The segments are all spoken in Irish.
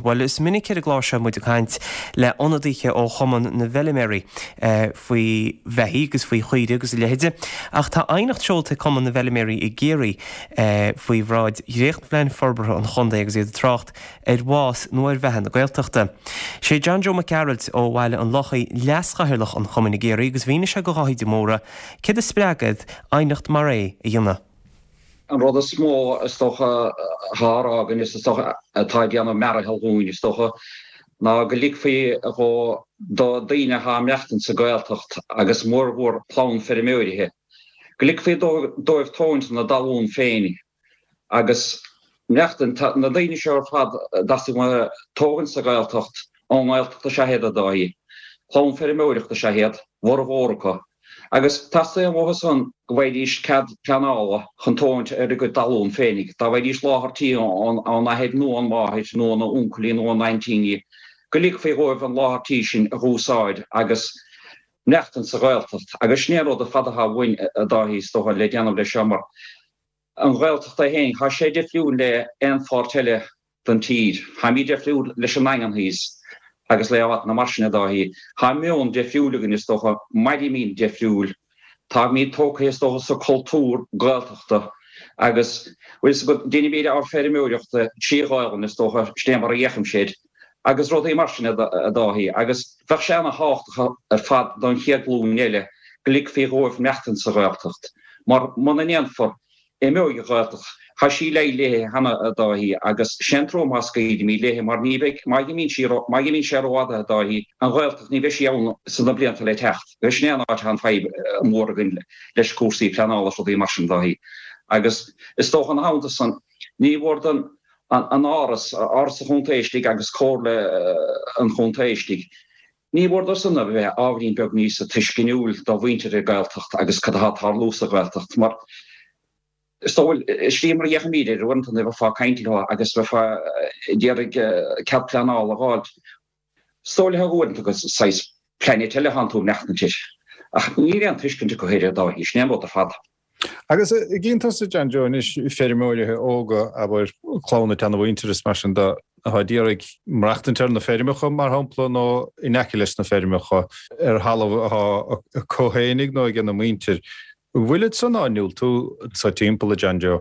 Bhuel, is minic ar an gclár seo muid ag caint le ionadaithe ó Chumann na bhFeiliméaraí faoi bheithígh agus faoi chaoirigh agus a leithide, ach tá aighneacht seolta ag Cumann na bhFeiliméaraí i gCiarraí faoi bhráid dhréachtphlean forbartha an chontae agus iad ag trácht ar bhás nó ar bheatha na Gaeltachta. Sé John Joe Mac Gearailt ó Bhaile an Lochaigh leaschathaoirleach an chumainn i gCiarraí agus mhínigh sé do Dháithí de Mórdha céard a spreag iad aighneacht mar é a dhéanamh. An rud is mó, is dócha, atá á rá againn, is dócha, atá ag déanamh mearathaill dhúinn, is dócha, ná go ligfí dhó do daoine atá ag maireachtaint sa Ghaeltacht agus mórmhór clann feirmeoirithe, go ligfí dóibh tógaint na dtalún féin agus maireachtaint. Tá na daoine seo ar fad a dteastaigh uathu tógaint sa Ghaeltacht, ón nGaeltacht is ea iad, a Dháithí. Clann feirmeoireachta is ea iad, bhformhór acu. Agus teastaíonn uathu san go bhfaighidís cead pleanála chun tógaint ar a gcuid talún féinig. Dá bhfaighidís láthair tí ón athair nó ón máthair nó óna uncailí nó óna aintíní, go ligfí dhóibh an láthair tí sin a dh'úsáid agus maireachtaint sa Ghaeltacht. Agus sin é an rud ar fad atá uainn, a Dháithí, is dócha, le déanamh leis seo mar an Ghaeltacht é féin, tá sé difriúil le aon pháirt eile den tír. Táimid difriúil leis an nDaingean thíos agus le áiteanna mar sin, a Dháithí. Tá meon difriúil againn, is dócha, mairimid difriúil. Táimid tógtha, is dócha, sa cultúr Gaeltachta agus, bhfuil fhios agat, deinimid ár feirmeoireachta trí Ghaelainn, is dócha, sin é mar a fhéachaimse air, agus rudaí mar sin, a Dháithí. Agus bheadh sé ana-thábhachtach ar fad don chéad ghlúin eile go ligfí dhóibh maireachtaint sa Ghaeltacht, mar muna ndéanfar, imeoidh an Ghaeltacht. Tá sí léi léithe cheana, a Dháithí, agus sé an trua má scaoilimid léithe, mar ní bheidh, má imíonn sí, má imíonn sé rófhada, a Dháithí, an Ghaeltacht, ní bheidh sí ann sna blianta le teacht. Agus sin é an áit atá an fadhb mhór againn leis cúrsaí pleanála is rudaí mar sin, a Dháithí. Agus is dócha ina theannta san, ní mhór don an Áras, Áras an Chontae istigh agus Comhairle an Chontae istigh, ní mhór dó san a bheith ábhairín beag níosa tuisceanúil do mhuintir an Ghaeltacht agus cad atá ag tarlú sa Ghaeltacht mar is dóigh slí mar a fhéachaimid air uaireanta nuair a bheifeá ag caint leo agus bheifeá ag iarraidh cead pleanála a dh'fháilt. Is dóigh leo uaireanta gur saghas planet eile atánn tú ag maireachtaint air. Ach níl aon tuiscint acu air a Dháithí, sin é an rud ar fad. Agus an gcíonn tusa, John Joe, anois feirmeoirithe óga, abair, clann na seanamhuintir is mar sin de, atá d'iarraidh maireachtaint ar na feirmeacha, mar shampla, nó in aice leis na feirmeacha, ar thalamh atá acu fhéinig nó ag a muintir. An bhfuilid san á ndiúltú anso timpeall, a John Joe?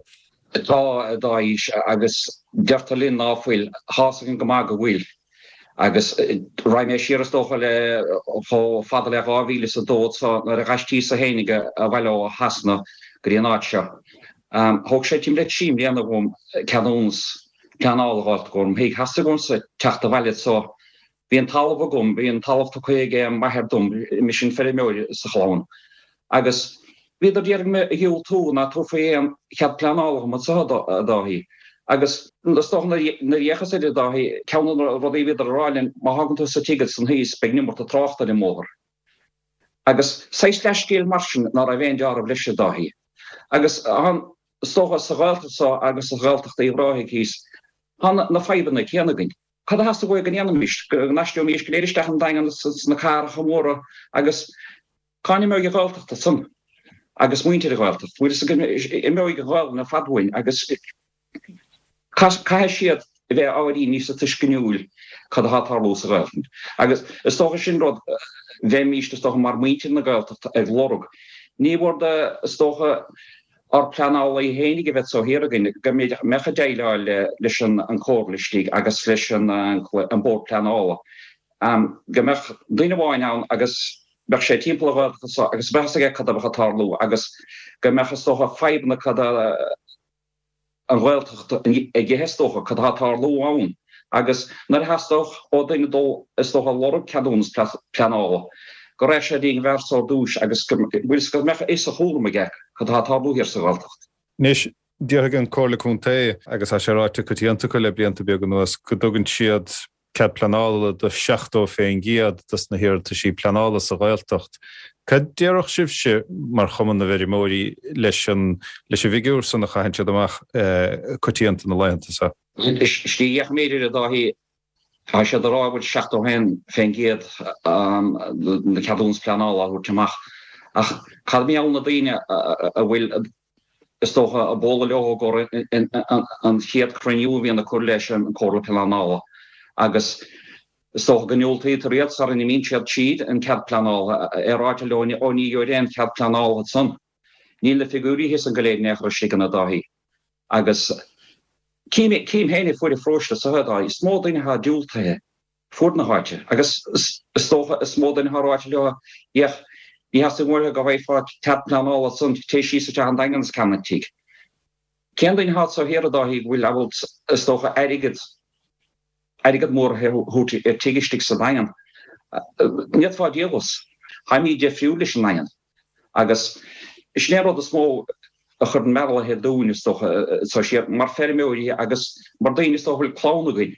Tá, a Dháithí, agus deirtear linn ná fuil. Tá's againn go maith go bhfuil. Agus raghaidh mé siar is dócha le chomh fada le 2002 anso nuair a d'aistríos-sa fhéinig abhaile ó Shasana go dtí an áit seo. Thóg sé timpeall le 3 mbliana dhom ceadúnas pleanála a dh'fháilt i gcomhair mo thigh. Theastaigh uaimse teacht abhaile anso. Bhí an talamh agam, bhí an talamh tugtha ag m'athair dom, mise an feirmeoir sa chlann. Agus bhíodar d'iarraidh mé a dhiúltú ná tabharfaí aon chead pleanála dhom anso, a Dháithí. Agus is dócha nuair a d'fhéachas air, a Dháithí, ceann de na rudaí a bhíodar a rá linn, má thágann tú sa tigh ansan thíos, beidh an iomarca tráchta ar an mbóthar. Agus saghas leathscéal mar sin ná raibh aon deáramh leis, a Dháithí. Agus is dócha sa Ghaeltacht so agus sa Ghaeltacht Uíbh Ráthaigh thíos, tá na fadhbanna céanna againn. Cad a theastaigh uaidh go ndéanfaimis? Go n-aistreoimís go léir isteach an Daingean sna cathracha móra agus Cá n-imeoidh an Ghaeltacht ansan agus muintir an Ghaeltacht? Bhfuil fhios agaibh, imeoidh an Ghaelainn ar fad uainn agus caithfidh siad a bheith ábhairín níosa tuisceanúil cad atá ag tarlú sa Ghaeltacht. Agus is dócha sin rud bheimíst is dócha mar muintir na Gaeltachta ag lorg. Ní mhór do is dócha ár pleanálaí fhéinig a bheith anso thiar againn go mbeadh ag déileáil leis an Chomhairle istigh agus leis an Bord Pleanála. Go mbeadh duine amháin ann agus bheadh sé timpeall an Ghaeltacht anso agus bheadh fhios aige cad a bheadh ag tarlú agus go mbeadh is dócha fadhbanna cad a an Ghaeltacht ag ithe is dócha, cad atá ag tarlú ann agus nuair a theastódh ó duine dul is dócha lorg ceadúnas pleanála go raghadh sé dtí an bhfear so ar dtúis agus go bhfuil go mbeadh fhios a chúram aige cad atá ag tarlú thiar sa Ghaeltacht. Anois, déarfaidh an Comhairle Contae, agus tá sé ráite coitianta acu le blianta beaga anuas, go dtugann siad cead pleanála do 70% dos na hiarrataisí pleanála sa Ghaeltacht. Cad déarfadh sibhse mar Chumann na bhFeirmeoirí leis an leis an bhfigiúr san a chaitheann siad amach coitianta na laethanta seo? Slí a dheich a Dháithí, tá siad ag rá go bhfuil 71% de na ceadúnas pleanála á thabhairt amach. Ach cad mar gheall na daoine a bhfuil is dócha, ag bualadh leo i gcomhair an chéad chruinniú a bhíonn acu leis an Chomhairle Pleanála. Agus is dócha go ndiúltaítear iad sara n-imíonn siad tríd an cead pleanála, é ráite leo ó ní gheobhair aon chead pleanála ansan. Níl na figiúirí thíos ann go léir in aon chor istigh ann a Dháithí. Agus cím féin a fuair an pharóiste so a Dháithí, is mó duine atá diúltaithe fuaid na háite agus is dócha is mó duine atá ráite leo féach ní theastaíonn uaithe go bhfaighfeá cead pleanála ansan téigh síos isteach an Daingean is ceannaigh tigh. Cén duine atá anso thiar a Dháithí go bhfuil ábalta is dócha airgead airgead mór a thabhairt ar tigh istigh sa Daingean? Ní fhéadfá díol as. Táimid difriúil leis an nDaingean agus sin é an rud is mó a chuireann mearbhall dúinn is dócha anso siar mar feirmeoirí agus mar daoine is dócha a bhfuil clann againn.